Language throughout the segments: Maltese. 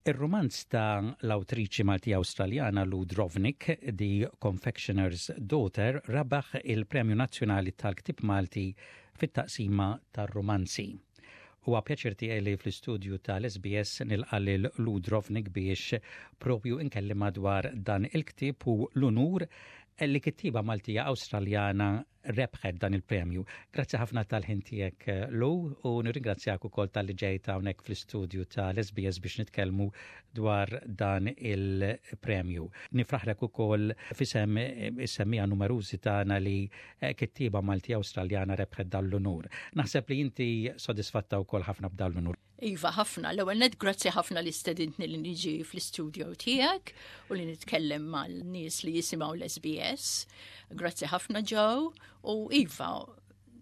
Ir-rumanz ta' l-awtriċi Maltija Awstraljana Lou Drobnik, The Confectioner's Daughter, rebaħ il-Premju Nazzjonali tal-Ktieb Malti fit-taqsima tar-rumanzi. Huwa pjaċir tiegħi li fl-istudju tal-SBS nilqa' lil Lou Drobnik biex propju nkellimha dwar dan il-ktieb u l-unur li kittieba Maltija Awstraljana rebħet dan il-premju. Grazzi ħafna tal-ħin tiegħek eh, Lou u nirringrazzjak ukoll talli ġejt hawnhekk fl-istudju tal-SBS biex nitkellmu dwar dan il-premju. Nifraħlek ukoll f'isem eh, is-semmiegħa numerużi tagħna li eh, kittieba Malti Awstraljana rebħet dan l-unur. Naħseb li inti sodisfatta wkoll ħafna b'dan l-unur. Iva, ħafna. L-ewwel net grazzi ħafna li stedintni li niġi fl-istudio tiegħek u li nitkellem mal-nies li jisimgħu l-SBS. Grazzi ħafna Joe u Iva,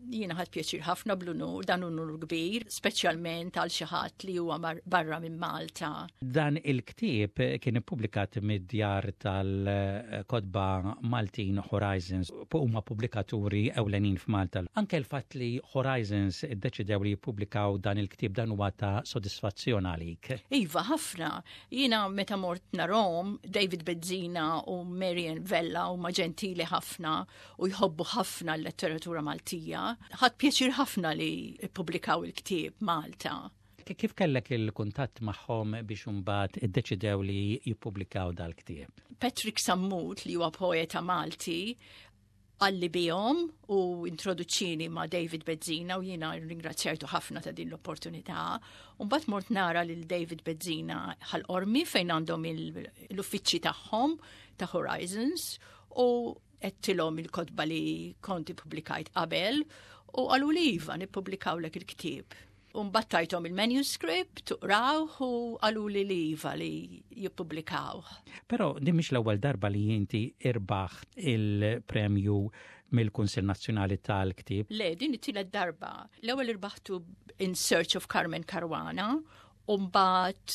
jiena ħadt pjaċir ħafna bl-unur, dan unur kbir, speċjalment għal xi ħadd li huwa barra minn Malta. Dan il-ktieb kien ippubblikat mid-djar tal-kotba Maltin Horizons huma pubblikaturi ewlenin f'Malta. Anke l-fatt li Horizons iddeċidew li jippubblikaw dan il-ktieb dan huwa ta' sodisfazzjon għalik. Iva, ħafna. Jiena meta mort narahom, David Bezzina u Marian Vella huma ġentili ħafna u jħobbu ħafna l-letteratura Maltija. Ħadt pjaċir ħafna li ppubblikaw il-ktieb Malta. Kif kellek il-kuntatt magħhom biex imbagħad iddeċidew li jippubblikaw dal-ktieb? Patrick Sammut li huwa poeta Malti qalli bihom u introduċini ma' David Bezzina u jiena ringrazzjajtu ħafna ta' din l-opportunità. U mbagħad mort nara lil David Bezzina Ħal Qormi fejn għandhom l-uffiċċji tagħhom ta' Horizons u għedtilhom il-kotba li kont ippubblikajt qabel u qalu li iva nippubblikawlek il-ktieb. U mbagħad tajthom il-manuscript, qrawh u qaluli li iva li jippubblikawh. Però din mhix l-ewwel darba li inti irbaħt il-premju mill-Kunsill Nazzjonali tal-Ktieb. Le, din it-tielet darba. L-ewwel irbaħtu In Search of Carmen Caruana u mbagħad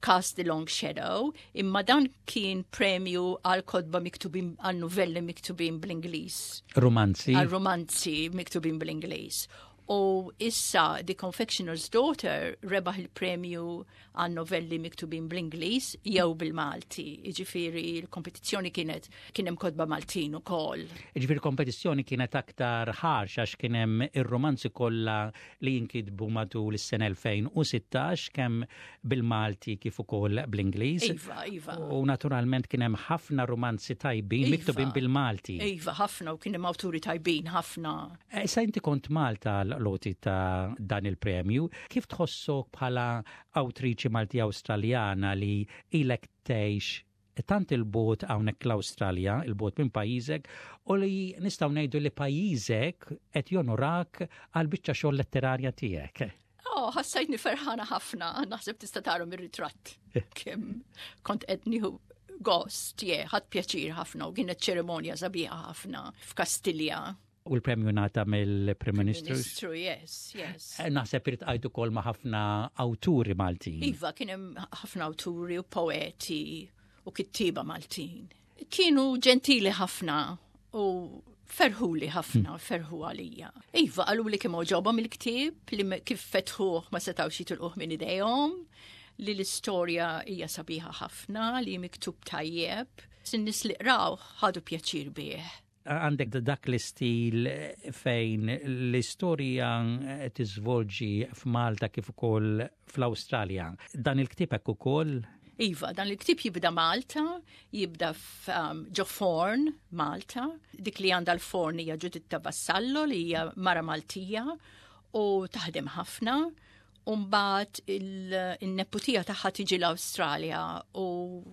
Cast the Long Shadow, imma dan kien premju għal kotba miktubin għal novelli miktubin bl-Ingliż. Romanzi. Għal romanzi miktubin bl-Ingliż. U issa The Confectioner's Daughter rebaħ il-premju għal novelli miktubin bl-Ingliż jew bil-Malti. Jiġifieri l-kompetizzjoni kienet kien hemm kotba Maltin ukoll. Jiġifieri kompetizzjoni kienet aktar ħarx għax kien hemm ir-romanzi kollha li jinkitbu matul is-sena 2016 kemm bil-Malti kif ukoll bl-Ingliż. Iva, iva. U naturalment kien hemm ħafna romanzi tajbin iva. miktubin bil-Malti. Iva, ħafna u kien hemm awturi tajbin ħafna. Eh, issa inti kont Malta l-loti ta' dan il-premju, kif tħossok bħala awtriċi Malti Awstraljana li ilek tgħix tant il-bogħod hawnhekk l-Awstralja, il-bogħod minn pajjiżek, u li nistgħu ngħidu li pajjiżek qed jonorak għal biċċa xogħol letterarja tiegħek. Oh, ħassajtni ferħana ħafna, naħseb tista' tara mir-ritratt. Kemm kont qed nieħu gost, je, ħadt pjaċir ħafna u kienet ċerimonja sabiħa ħafna f'Kastilja. U l-premju ngħata mill-Prim Ministru? Ministru, yes, yes. Eh, naħseb irid qajtu ukoll ma' ħafna awturi Maltin. Iva, kien hemm ħafna awturi u poeti u kittieba Maltin. Kienu ġentili ħafna u ferħuli ħafna, hmm. ferħu għalija. Iva, qalu li kemm oġobhom il-ktieb, li kif fetħuh ma setgħux jitilquh minn idejhom, li l-istorja hija sabiħa ħafna, li miktub tajjeb. Sin-nies li qraw ħadu pjaċir bih għandek dak l-istil fejn l-istorja tiżvolġi f'Malta kif ukoll fl-Awstralja. Dan il-ktieb hekk ukoll? Iva, dan il-ktieb jibda Malta, jibda um, ġo forn Malta, dik li għandha l-forn hija Ġuditta Vassallo li hija mara Maltija u taħdem ħafna U mbagħad il-neputija tagħha tiġi l-Awstralja u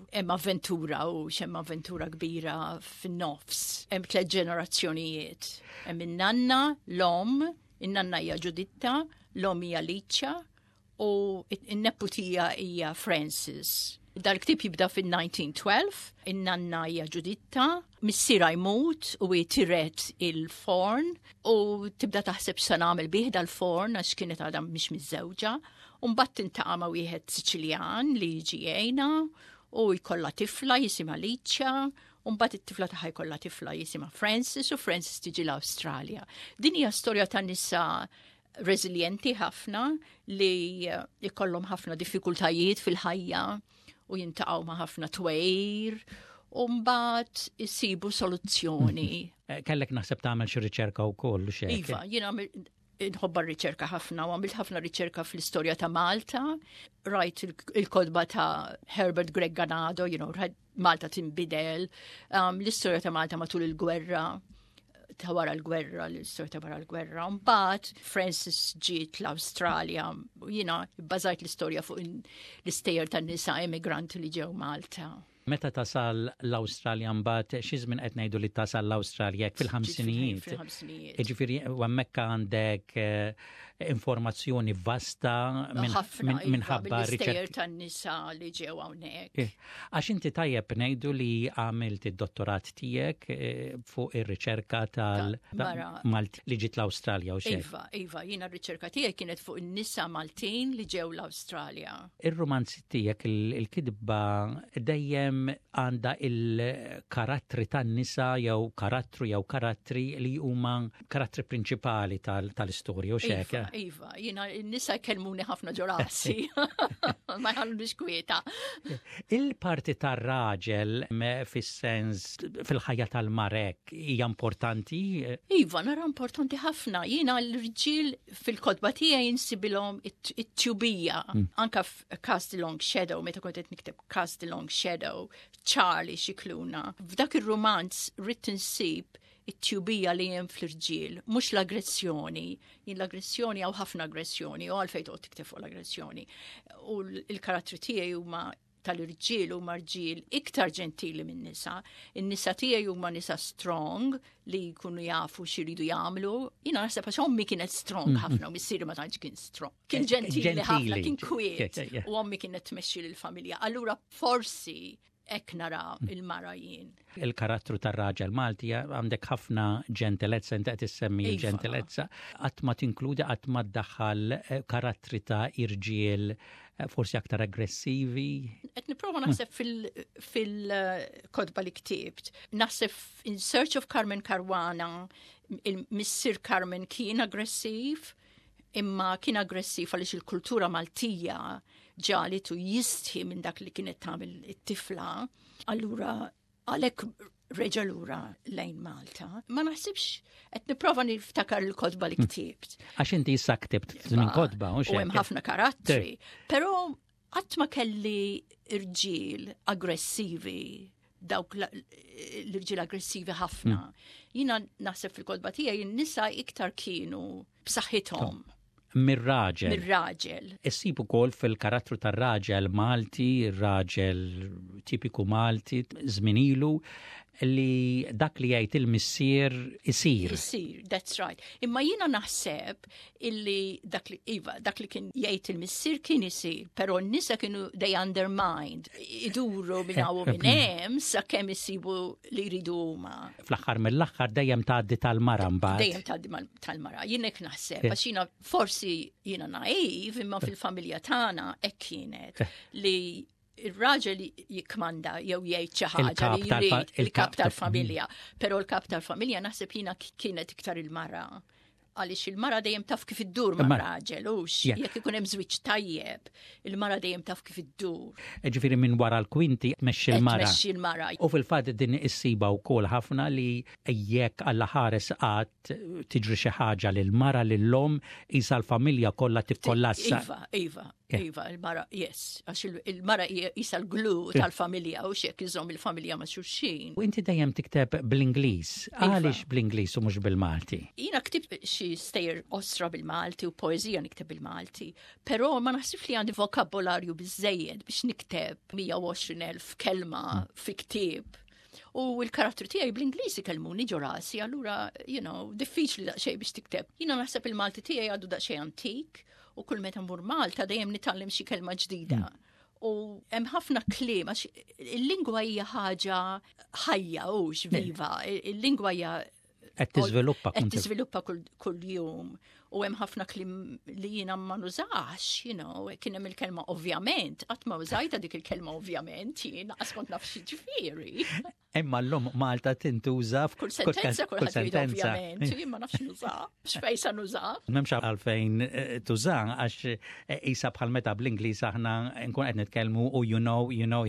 hemm avventura u x'hemm avventura kbira fin-nofs. Hemm tliet ġenerazzjonijiet. Hemm in-nanna, l-om, in-nanna hija Ġuditta, l-om hija Liċa u n-neputija hija Francis. Dal-ktieb jibda fin-1912, in-nanna hija Ġuditta, missierha jmut u hi tiret il-forn u tibda taħseb x'se nagħmel bih dal-forn għax kienet għadha mhix miżżewġa. U mbagħad tintaqa' ma' wieħed Siċiljan li jiġi jgħinha u jkollha tifla jisimha Liċja u mbagħad it-tifla tagħha jkollha tifla jisimha Francis u Francis tiġi l-Awstralja. Din hija storja ta' nisa reżiljenti ħafna li jkollhom ħafna diffikultajiet fil-ħajja u jintaqgħu ma' ħafna twejr u mbagħad isibu soluzzjoni. Eh, kellek naħseb tagħmel xi riċerka wkoll xi. Iva, jiena nħobba r-riċerka ħafna u għamilt ħafna riċerka fl-istorja ta' Malta, rajt il-kodba ta' Herbert Greg Ganado, you know, Malta tinbidel, l-istorja ta' Malta matul il-gwerra, ta' wara l-gwerra, l-istorja ta' wara l-gwerra. Mbagħad Francis ġiet l-Awstralja, jiena bbażajt l-istorja fuq l-istejjer tan-nisa emigranti li ġew Malta. Meta tasal l-Awstralja mbagħad xi żmien qed ngħidu li tasal l-Awstralja fil-ħamsinijiet. Jiġifieri hemmhekk għandek eh, informazzjoni vasta iva, minħabba riċerka tan-nisa li ġew hawnhekk. Eh, għax inti tajjeb ngħidu li għamilt id-dottorat tiegħek eh, fuq ir-riċerka tal-Malt li ġiet l-Awstralja u xejn. Iva, iva, jiena r-riċerka tiegħi kienet fuq in-nisa Maltin li ġew l-Awstralja. Ir-rumanzi tiegħek il-kitba dejjem għandha il-karattri tan-nisa jew karattru jew karattri li huma karattri prinċipali tal-istorja u xek. Iva, iva, jiena n-nisa jkellmuni ħafna ġo rasi. Ma jħallunix kwieta. Il-parti tar-raġel fis-sens fil-ħajja tal-marek hija importanti? Iva, nara importanti ħafna. Jiena l-irġiel fil-kotba tiegħi insibilhom it-tjubija. Anka f'Cast the Long Shadow, meta kont qed nikteb Cast the Long Shadow, Charlie Xikluna. F'dak ir-rumanz ridt insib it-tjubija li hemm fl-irġiel, mhux l-aggressjoni. Jien l-aggressjoni hawn ħafna aggressjoni, u għalfejn toqgħod tikteb fuq l-aggressjoni. U l-karattri tiegħi huma tal-irġiel huma rġiel iktar ġentili minn nisa. In-nisa tiegħi huma nisa strong li jkunu jafu x'iridu jagħmlu. Jiena naħseb għax ommi kienet strong mhm. ħafna u missieri ma tantx kien strong. Kien eh, ġentili ħafna, kien kwiet u ommi kienet tmexxi lill-familja. Allura forsi hekk nara mm. il-mara jien. Il-karattru tar-raġel Malti għandek ħafna ġentilezza, inti qed issemmi iva. ġentilezza, qatt ma tinkludi qatt ma ddaħħal eh, karattri ta' irġiel eh, forsi aktar aggressivi. Qed nipprova naħseb fil-kodba li ktibt. Naħseb In Search of Carmen Caruana, il-missier Carmen kien aggressiv, imma kien aggressiv għaliex il-kultura Maltija ġalitu jistħi minn dak li kienet tagħmel it-tifla. Allura għalhekk reġa' lura lejn Malta. Ma naħsibx qed nipprova niftakar il-kotba li ktibt. Għax inti issa ktibt minn kotba, u hemm ħafna karattri. Però qatt ma kelli irġiel aggressivi dawk l-irġiel aggressivi ħafna. Jina naħseb fil-kotba tiegħi n-nisa iktar kienu b'saħħithom. Mir-raġel. Mir-raġel. Issib ukoll fil-karattru tar-raġel Malti, raġel tipiku Malti, żmien ilu, li dak li jgħid il-missier isir. Isir, that's right. Imma jiena naħseb illi dak li, iva, dak li kien jgħid il-missier kien isir, però n-nisa kienu they undermined, iduru minn hawn u minn hemm sakemm isibu li jridu huma. Fl-aħħar mill-aħħar dejjem tgħaddi tal-mara mbagħad. Dejjem tgħaddi tal-mara. Jien hekk naħseb, għax jiena forsi jiena naiv, imma fil-familja tagħna hekk kienet li il-raġel jikkmanda jew jgħid xi ħaġa li jrid il-kap tal-familja. Però l-kap tal-familja naħseb jiena kienet iktar il-mara. Għaliex il-mara dejjem taf kif iddur ma' raġel, hux jekk ikun hemm żwieġ tajjeb, il-mara dejjem taf kif iddur. Ġifieri minn wara l-kwinti tmexxi l-mara. Tmexxi l-mara. U fil-fatt din issiba wkoll ħafna li jekk Alla ħares qatt tiġri xi ħaġa lil mara lil omm isa l-familja kollha tikkollassa. Iva, iva. Iva, il-mara, yes, għax il-mara jisa l-glue tal-familja u xek iżom il-familja ma' xulxin. U inti dejjem tikteb bl-Ingliż. Iva. Għaliex bl-Ingliż u mhux bil-Malti? Jiena ktibt xi stejjer osra bil-Malti u poeżija nikteb bil-Malti, però ma naħsibx li għandi vokabolarju biżejjed biex nikteb 120,000 kelma fi ktieb. U l-karattru tiegħi bl-Ingliż ikellmuni ġo rasi, allura, you know, diffiċli daqsxejn biex tikteb. Jiena naħseb il-Malti tiegħi għadu daqsxejn antik u kull meta mmur Malta dejjem nitgħallem xi kelma ġdida. U hemm ħafna kliem għax il-lingwa hija ħaġa ħajja hux viva, il-lingwa hija Qed tiżviluppa qed tiżviluppa kull jum u hemm ħafna kliem li jiena ma nużax, you know, kien hemm il-kelma ovvjament, qatt ma użajta dik il-kelma ovvjament, jien qas kont naf xi ġifieri. Imma llum Malta tintuża f'kull sentenza, kull sentenza. Ovvjament, jien ma nafx nuża, x'fejn sa nuża. M'hemmx għalfejn eh, tuża għax eh, isa bħal meta bl-Ingliż aħna nkun qed nitkellmu u you know, you know.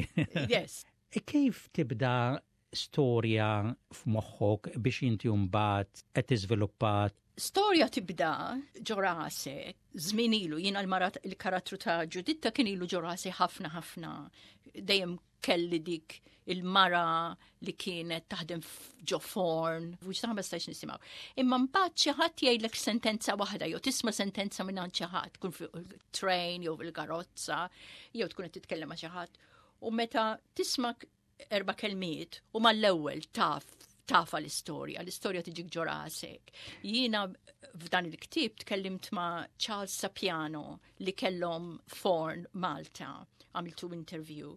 Yes. Kif tibda storja f'moħħok biex inti mbagħad qed tiżviluppa Storja tibda ġo rasek, żmien ilu, jiena l-marat il-karattru ta' Ġuditta kien ilu ġo rasi ħafna ħafna. Dejjem kelli dik il-mara li kienet taħdem ġo forn, u x'taħ ma stajx nisimgħu. Imma mbagħad xi ħadd jgħidlek sentenza waħda jew tisma' sentenza minn xi ħadd, tkun fuq il-train jew il-karozza, jew tkun qed titkellem ma' xi ħadd. U meta tisma' erba' kelmiet u mal-ewwel taf tafa l-istorja, l-istorja tiġik ġo rasek. Jiena f'dan il-ktieb tkellimt ma' Charles Sapiano li kellhom forn Malta, għamiltu interview.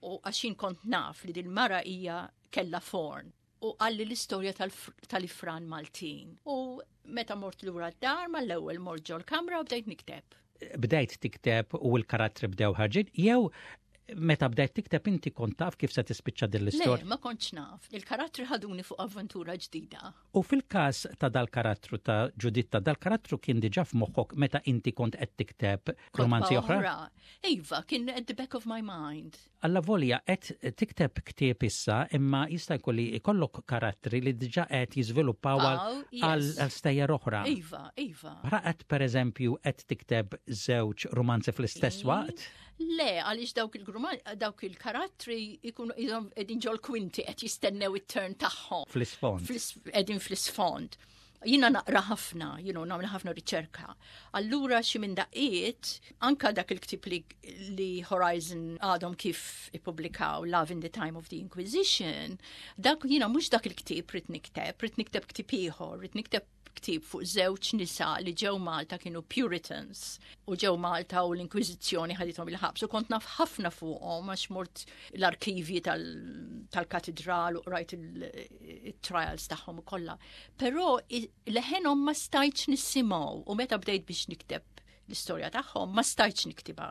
U għax kont naf li dil-mara hija kella forn u qalli l-istorja tal-ifran Maltin. U meta mort lura d-dar mal-ewwel mort ġol-kamra u bdejt nikteb. Bdejt tikteb u l-karattri bdew ħarġin jew meta bdejt tikteb inti kont taf kif se tispiċċa din l-istorja? Le, ma kontx naf. Il-karattri ħaduni fuq avventura ġdida. U fil-każ ta' dal-karattru ta' Ġuditta, dal-karattru kien diġà f'moħħok meta inti kont qed tikteb romanzi oħra? Iva, kien at the back of my mind. Allavolja qed tikteb ktieb issa imma jista' jkun li jkollok karattri li diġà qed jiżviluppaw għal stejjer oħra. Iva, iva. Raqet pereżempju qed tikteb żewġ rumanzi fl-istess waqt? Le, għaliex dawk il-karattri jkunu qegħdin ġol kwinti qed jistennew it-turn tagħhom. Fl-isfond. Qegħdin fl-isfond. Jiena naqra ħafna, you know, nagħmel ħafna riċerka. Allura xi minn daqqiet, anka dak il-ktieb li, li Horizon għadhom kif ippubblikaw Love in the Time of the Inquisition, dak jiena mhux dak il-ktieb rrid nikteb, rrid nikteb ktieb ieħor, rrid nikteb ktieb fuq żewġ nisa li ġew Malta kienu Puritans u ġew Malta u l-Inkwiżizzjoni ħadithom il-ħabs u kont naf ħafna fuqhom għax mort l-arkivji tal-katedral u qrajt il-trials tagħhom u kollha. Però leħenhom ma stajtx nisimgħu u meta bdejt biex nikteb l-istorja tagħhom ma stajtx niktibha.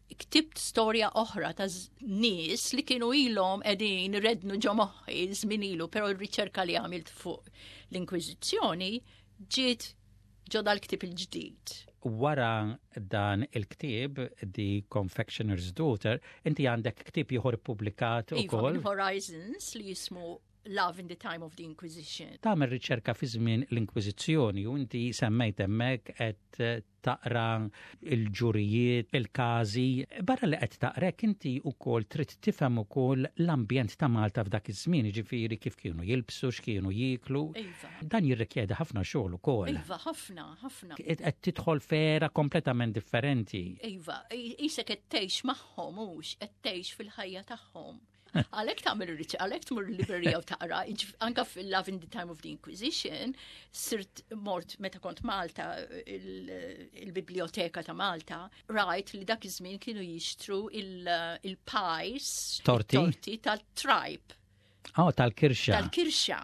Ktibt storja oħra ta' nies li kienu ilhom qegħdin rednu ġo moħħi żmien ilu, però r-riċerka li għamilt fuq l-Inkwiżizzjoni ġiet ġo dal-ktieb il-ġdid. Wara dan il-ktieb, The Confectioner's Daughter, inti għandek ktieb ieħor ippubblikat Iva, ukoll. Horizons li jismu Love in the Time of the Inquisition. Tagħmel riċerka fi żmien l-Inkwiżizzjoni u inti semmejt hemmhekk qed taqra il-ġurijiet, il-każi. Barra li qed taqrek inti wkoll trid tifhem ukoll l-ambjent ta' Malta f'dak iż-żmien, jiġifieri kif kienu jilbsu, x'kienu jieklu. Iva. Dan jirrikjedi ħafna xogħol ukoll. Iva, ħafna, ħafna. Qed tidħol f'era kompletament differenti. Iva, isek qed tgħix magħhom hux qed tgħix fil-ħajja tagħhom. Għalhekk tagħmel ir-riċerka, għalhekk tmur l-librerija u taqra, anka fil-Love in the Time of the Inquisition, sirt mort meta kont Malta, il-biblioteka ta' Malta, rajt li dak iż-żmien kienu jixtru il-pies, Torti? torti tal-tripe. Oh, tal-kirxa. Tal-kirxa,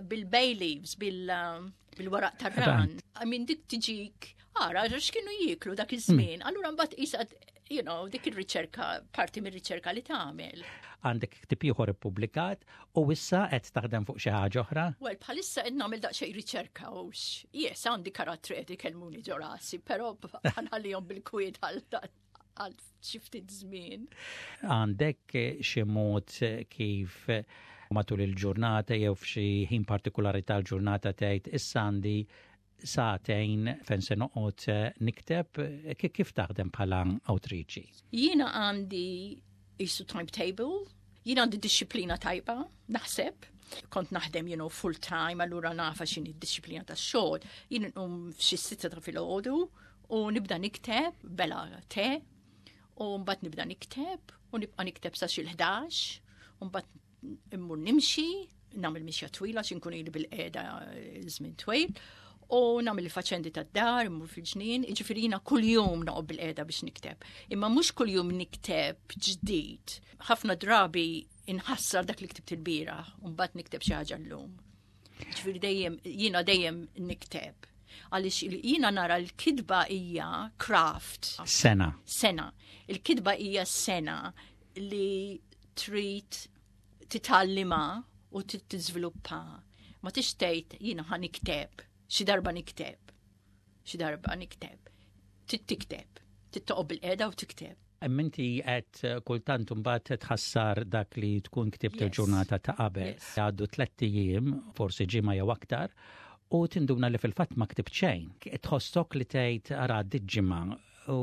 bil-bay leaves, bil-waraq tar-ran. I mean, dik tiġik, ara, x'kienu jieklu dak iż-żmien. Allura mbagħad isa, dik ir-riċerka, parti mir-riċerka li tagħmel. Għandek ktieb ieħor ippubblikat u issa qed taħdem fuq xi ħaġa oħra? Well, bħalissa qed nagħmel daqsxejn riċerka u yes, għandi karattri qed ikellmuni ġo rasi, però ħanħallihom bil-kwiet għal xi ftit żmien. Għandek xi mod kif matul il-ġurnata jew f'xi ħin partikolari tal-ġurnata tgħid issa għandi sagħtejn fejn se noqgħod nikteb, kif taħdem bħala awtriċi? Jiena għandi isu timetable, jiena għandi disċiplina tajba, naħseb. Kont naħdem, full time, allura nafa x'inhi d-disċiplina tax-xogħol. Jien nqum f'xi 6 ta' filgħodu u nibda nikteb bela te, u mbagħad nibda nikteb u nibqa' nikteb sa xi l-11, u mbagħad immur nimxi, nagħmel mixja twila xi nkun ili bil-qiegħda żmien twil, u nagħmel il-faċendi tad-dar, immur fil-ġnien, jiġifieri jiena kuljum noqgħod bil-qiegħda biex nikteb. Imma mhux kuljum nikteb ġdid. Ħafna drabi inħassar dak li ktibt il-bieraħ u mbagħad nikteb xi ħaġa llum. Ġifieri dejjem jiena dejjem nikteb. Għaliex jiena nara l-kitba hija craft. Sena. Sena. Il-kitba hija sena li trid titgħallimha u tiżviluppa. Ma tix tgħid jiena ħa nikteb, xi darba nikteb. Xi darba nikteb. Trid tikteb. Trid toqgħod bil-qiegħda u tikteb. Imma inti qed kultant imbagħad tħassar dak li tkun ktibt il-ġurnata ta' qabel. Għaddu tlett ijiem, forsi ġimgħa jew aktar, u tinduna li fil-fatt ma ktibt xejn. Tħossok li tgħid ara għaddiet ġimgħa u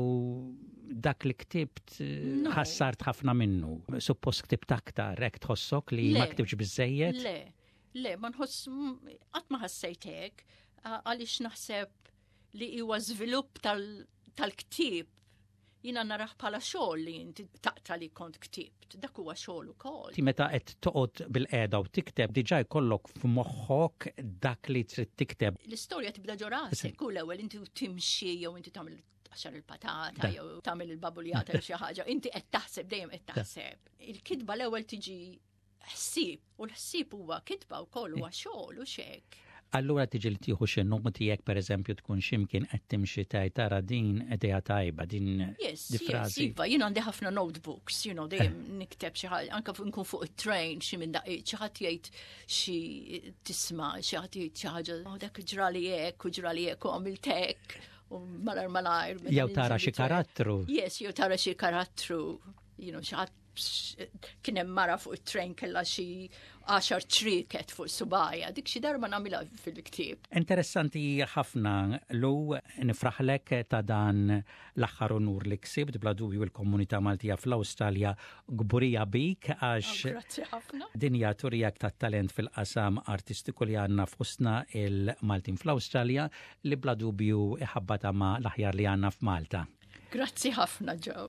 dak li ktibt ħassart ħafna minnu. Suppost ktibt aktar, hekk tħossok li ma ktibtx biżejjed? Le, le, ma nħoss qatt ma ħassejt hekk għaliex naħseb li huwa żvilupp tal-ktieb jina narah bħala xogħol li inti taqta li kont ktibt. Dak huwa xogħol ukoll. Ti meta qed toqgħod bil-qiegħda u tikteb diġà jkollok f'moħħok dak li trid tikteb. L-istorja tibda ġo rasek, u l-ewwel inti timxi jew inti tagħmel tqaxxar il-patata jew tagħmel il-babuljata jew xi ħaġa, inti qed taħseb dejjem qed taħseb. Il-kitba l-ewwel tiġi ħsieb u l-ħsieb huwa kitba wkoll huwa xogħol u xek. Allura tiġi li tieħu xi noti jekk pereżempju tkun x'imkien qed timxi tgħid tara din idea tajba, din yes, di frażi. Yes, iva, jien għandi ħafna notebooks, you know, dejjem eh. nikteb xi ħaġa, anke nkun fuq it-train xi minn daqqiet xi ħadd jgħid xi tisma' xi ħadd jgħid xi ħaġa, oh, dak ġrali hekk u ġrali hekk u għamilt hekk u malar malajr. Jew tara xi karattru. Yes, jew tara xi karattru, you know, xi ħadd kien hemm mara fuq it-tren kellha xi għaxar ċrieket fuq subajja, dik xi darba nagħmilha fil-ktieb. Interessanti ħafna Lou nifraħlek ta' dan l-aħħar unur li ksibt bla dubju l-komunità Maltija fl-Awstralja kburija bik għax oh, Grazzi ħafna. Din hija turija tat-talent fil-qasam artistiku li għandna fostna il-Maltin fl-Awstralja li bla dubju iħabbata ma' l-aħjar li għandna f'Malta. Grazzi ħafna Joe.